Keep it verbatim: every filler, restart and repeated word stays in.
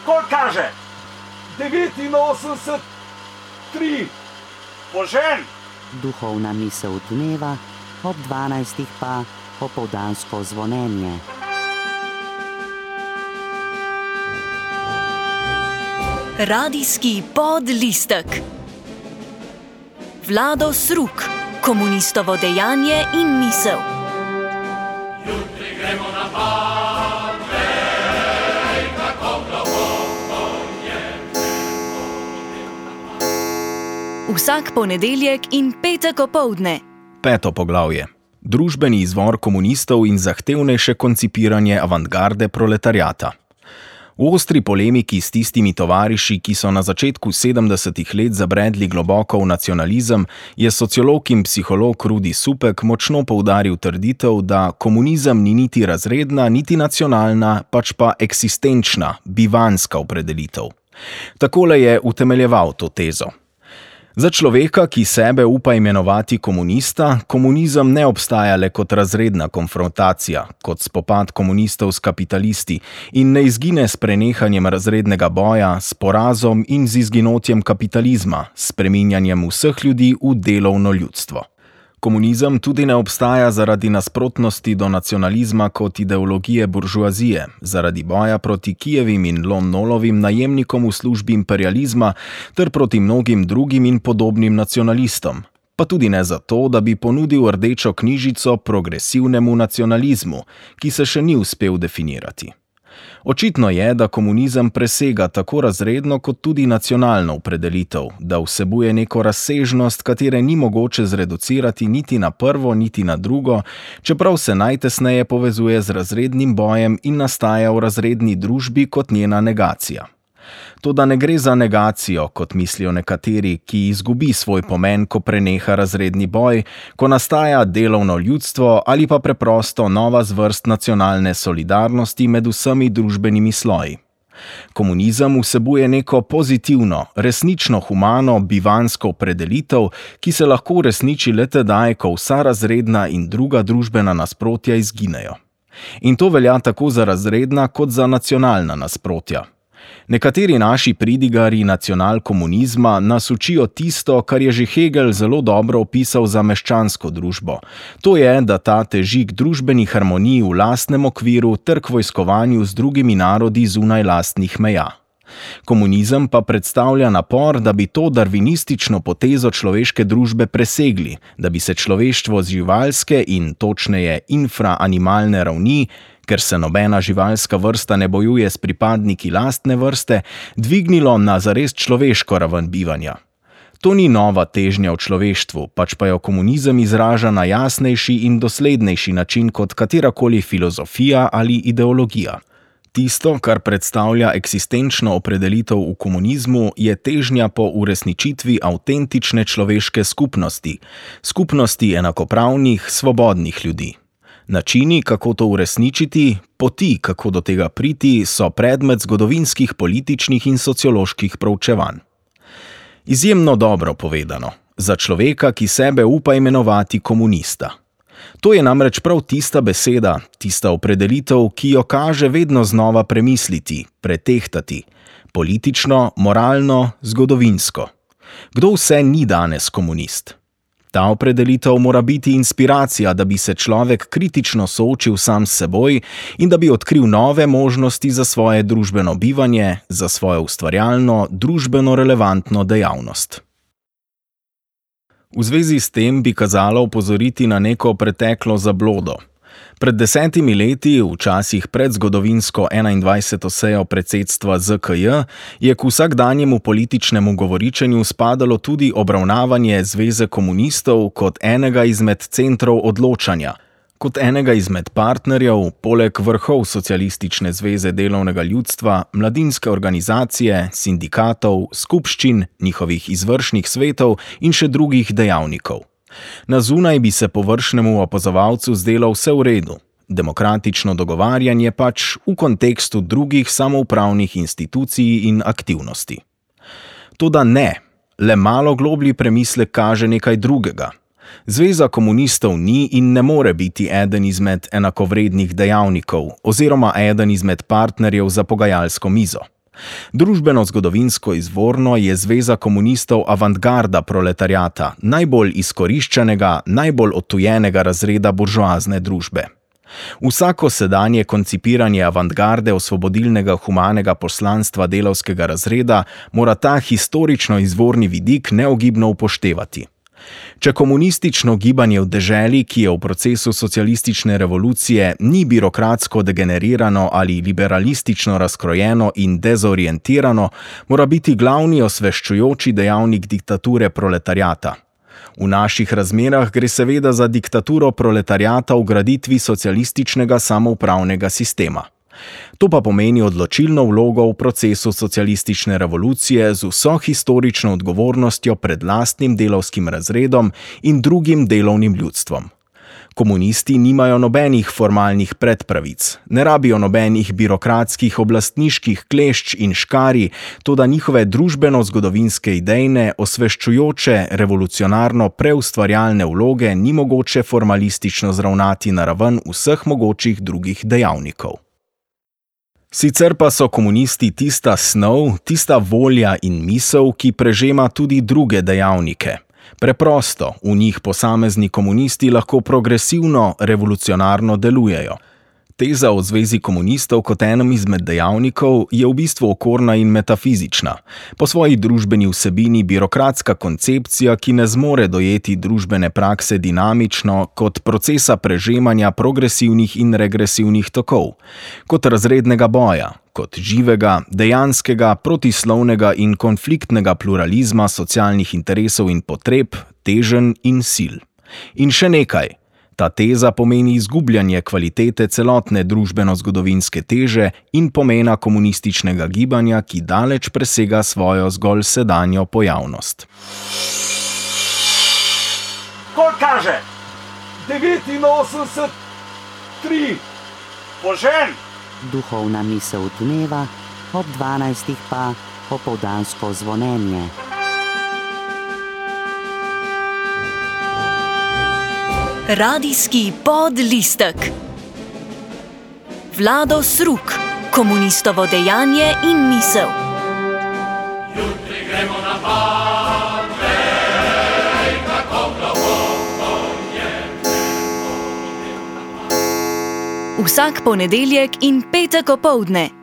Koliko kaže? devetinosemdeset tri. Požen! Duhovna misel dneva, ob dvanajstih pa popoldansko zvonjenje. Radijski podlistek. Vlado Sruk, komunistovo dejanje in misel. Jutri gremo na Bartej, kako globoko je nebo. Vsak ponedeljek in petek opoldne. Peto poglavje. Družbeni izvor komunistov in zahtevnejše koncipiranje avantgarde proletariata. V ostri polemiki s tistimi tovariši, ki so na začetku sedemdesetih let zabredli globoko v nacionalizem, je sociolog in psiholog Rudi Supek močno poudaril trditev, da komunizem ni niti razredna, niti nacionalna, pač pa eksistenčna, bivanska opredelitev. Takole je utemeljeval to tezo. Za človeka, ki sebe upa imenovati komunista, komunizem ne obstaja le kot razredna konfrontacija, kot spopad komunistov s kapitalisti in ne izgine s prenehanjem razrednega boja, s porazom in z izginotjem kapitalizma, s spreminjanjem vseh ljudi v delovno ljudstvo. Komunizem tudi ne obstaja zaradi nasprotnosti do nacionalizma kot ideologije buržoazije, zaradi boja proti Kijevim in Lon-Nolovim najemnikom v službi imperializma ter proti mnogim drugim in podobnim nacionalistom, pa tudi ne zato, da bi ponudil rdečo knjižico progresivnemu nacionalizmu, ki se še ni uspel definirati. Očitno je, da komunizem presega tako razredno kot tudi nacionalno opredelitev, da vsebuje neko razsežnost, katere ni mogoče zreducirati niti na prvo, niti na drugo, čeprav se najtesneje povezuje z razrednim bojem in nastaja v razredni družbi kot njena negacija. Toda ne gre za negacijo, kot mislijo nekateri, ki izgubi svoj pomen, ko preneha razredni boj, ko nastaja delovno ljudstvo ali pa preprosto nova zvrst nacionalne solidarnosti med vsemi družbenimi sloji. Komunizem vsebuje neko pozitivno, resnično humano, bivansko opredelitev, ki se lahko uresniči le tedaj, ko vsa razredna in druga družbena nasprotja izginejo. In to velja tako za razredna kot za nacionalna nasprotja. Nekateri naši pridigarji nacionalkomunizma nas učijo tisto, kar je že Hegel zelo dobro opisal za meščansko družbo. To je, da ta teži k družbeni harmoniji v lastnem okviru ter k vojskovanju z drugimi narodi zunaj lastnih meja. Komunizem pa predstavlja napor, da bi to darvinistično potezo človeške družbe presegli, da bi se človeštvo z živalske in točneje infraanimalne ravni, ker se nobena živalska vrsta ne bojuje s pripadniki lastne vrste, dvignilo na zares človeško raven bivanja. To ni nova težnja v človeštvu, pač pa jo komunizem izraža na jasnejši in doslednejši način kot katerakoli filozofija ali ideologija. Tisto, kar predstavlja eksistenčno opredelitev v komunizmu, je težnja po uresničitvi avtentične človeške skupnosti, skupnosti enakopravnih, svobodnih ljudi. Načini, kako to uresničiti, poti, kako do tega priti, so predmet zgodovinskih, političnih in socioloških proučevanj. Izjemno dobro povedano, za človeka, ki sebe upa imenovati komunista. To je namreč prav tista beseda, tista opredelitev, ki jo kaže vedno znova premisliti, pretehtati, politično, moralno, zgodovinsko. Kdo vse ni danes komunist? Ta opredelitev mora biti inspiracija, da bi se človek kritično soočil sam s seboj in da bi odkril nove možnosti za svoje družbeno bivanje, za svojo ustvarjalno, družbeno relevantno dejavnost. V zvezi s tem bi kazalo opozoriti na neko preteklo zablodo. Pred desetimi leti, v časih pred zgodovinsko enaindvajseto sejo predsedstva Z K J, je k vsakdanjemu političnemu govoričenju spadalo tudi obravnavanje Zveze komunistov kot enega izmed centrov odločanja, kot enega izmed partnerjev, poleg vrhov Socialistične zveze delovnega ljudstva, mladinske organizacije, sindikatov, skupščin, njihovih izvršnih svetov in še drugih dejavnikov. Na zunaj bi se površnemu opazovalcu zdelo vse v redu. Demokratično dogovarjanje pač v kontekstu drugih samoupravnih institucij in aktivnosti. Toda ne, le malo globlji premislek kaže nekaj drugega. Zveza komunistov ni in ne more biti eden izmed enakovrednih dejavnikov oziroma eden izmed partnerjev za pogajalsko mizo. Družbeno-zgodovinsko izvorno je Zveza komunistov avantgarda proletariata, najbolj izkoriščenega, najbolj odtujenega razreda buržoazne družbe. Vsako sedanje koncipiranje avantgarde osvobodilnega humanega poslanstva delavskega razreda mora ta historično izvorni vidik neogibno upoštevati. Če komunistično gibanje v deželi, ki je v procesu socialistične revolucije, ni birokratsko degenerirano ali liberalistično razkrojeno in dezorientirano, mora biti glavni osveščujoči dejavnik diktature proletariata. V naših razmerah gre seveda za diktaturo proletariata v graditvi socialističnega samoupravnega sistema. To pa pomeni odločilno vlogo v procesu socialistične revolucije z vso historično odgovornostjo pred lastnim delavskim razredom in drugim delovnim ljudstvom. Komunisti nimajo nobenih formalnih predpravic, ne rabijo nobenih birokratskih oblastniških klešč in škarij, toda njihove družbeno-zgodovinske idejne, osveščujoče, revolucionarno preustvarjalne vloge ni mogoče formalistično zravnati na raven vseh mogočih drugih dejavnikov. Sicer pa so komunisti tista snov, tista volja in misel, ki prežema tudi druge dejavnike. Preprosto, v njih posamezni komunisti lahko progresivno, revolucionarno delujejo. Teza o Zvezi komunistov kot enem izmed dejavnikov je v bistvu okorna in metafizična, po svoji družbeni vsebini birokratska koncepcija, ki ne zmore dojeti družbene prakse dinamično kot procesa prežemanja progresivnih in regresivnih tokov, kot razrednega boja, kot živega, dejanskega, protislovnega in konfliktnega pluralizma socialnih interesov in potreb, teženj in sil. In še nekaj. Ta teza pomeni izgubljanje kvalitete celotne družbeno-zgodovinske teže in pomena komunističnega gibanja, ki daleč presega svojo zgolj sedanjo pojavnost. Koliko kaže? devetinosemdeset tri. Požen! Duhovna misel dneva, ob dvanajstih pa popoldansko zvonjenje. Radijski podlistek. Vlado Sruk, komunistovo dejanje in misel. Jutri gremo na pad, vej, kako globoko je. Vsak ponedeljek in petek opoldne.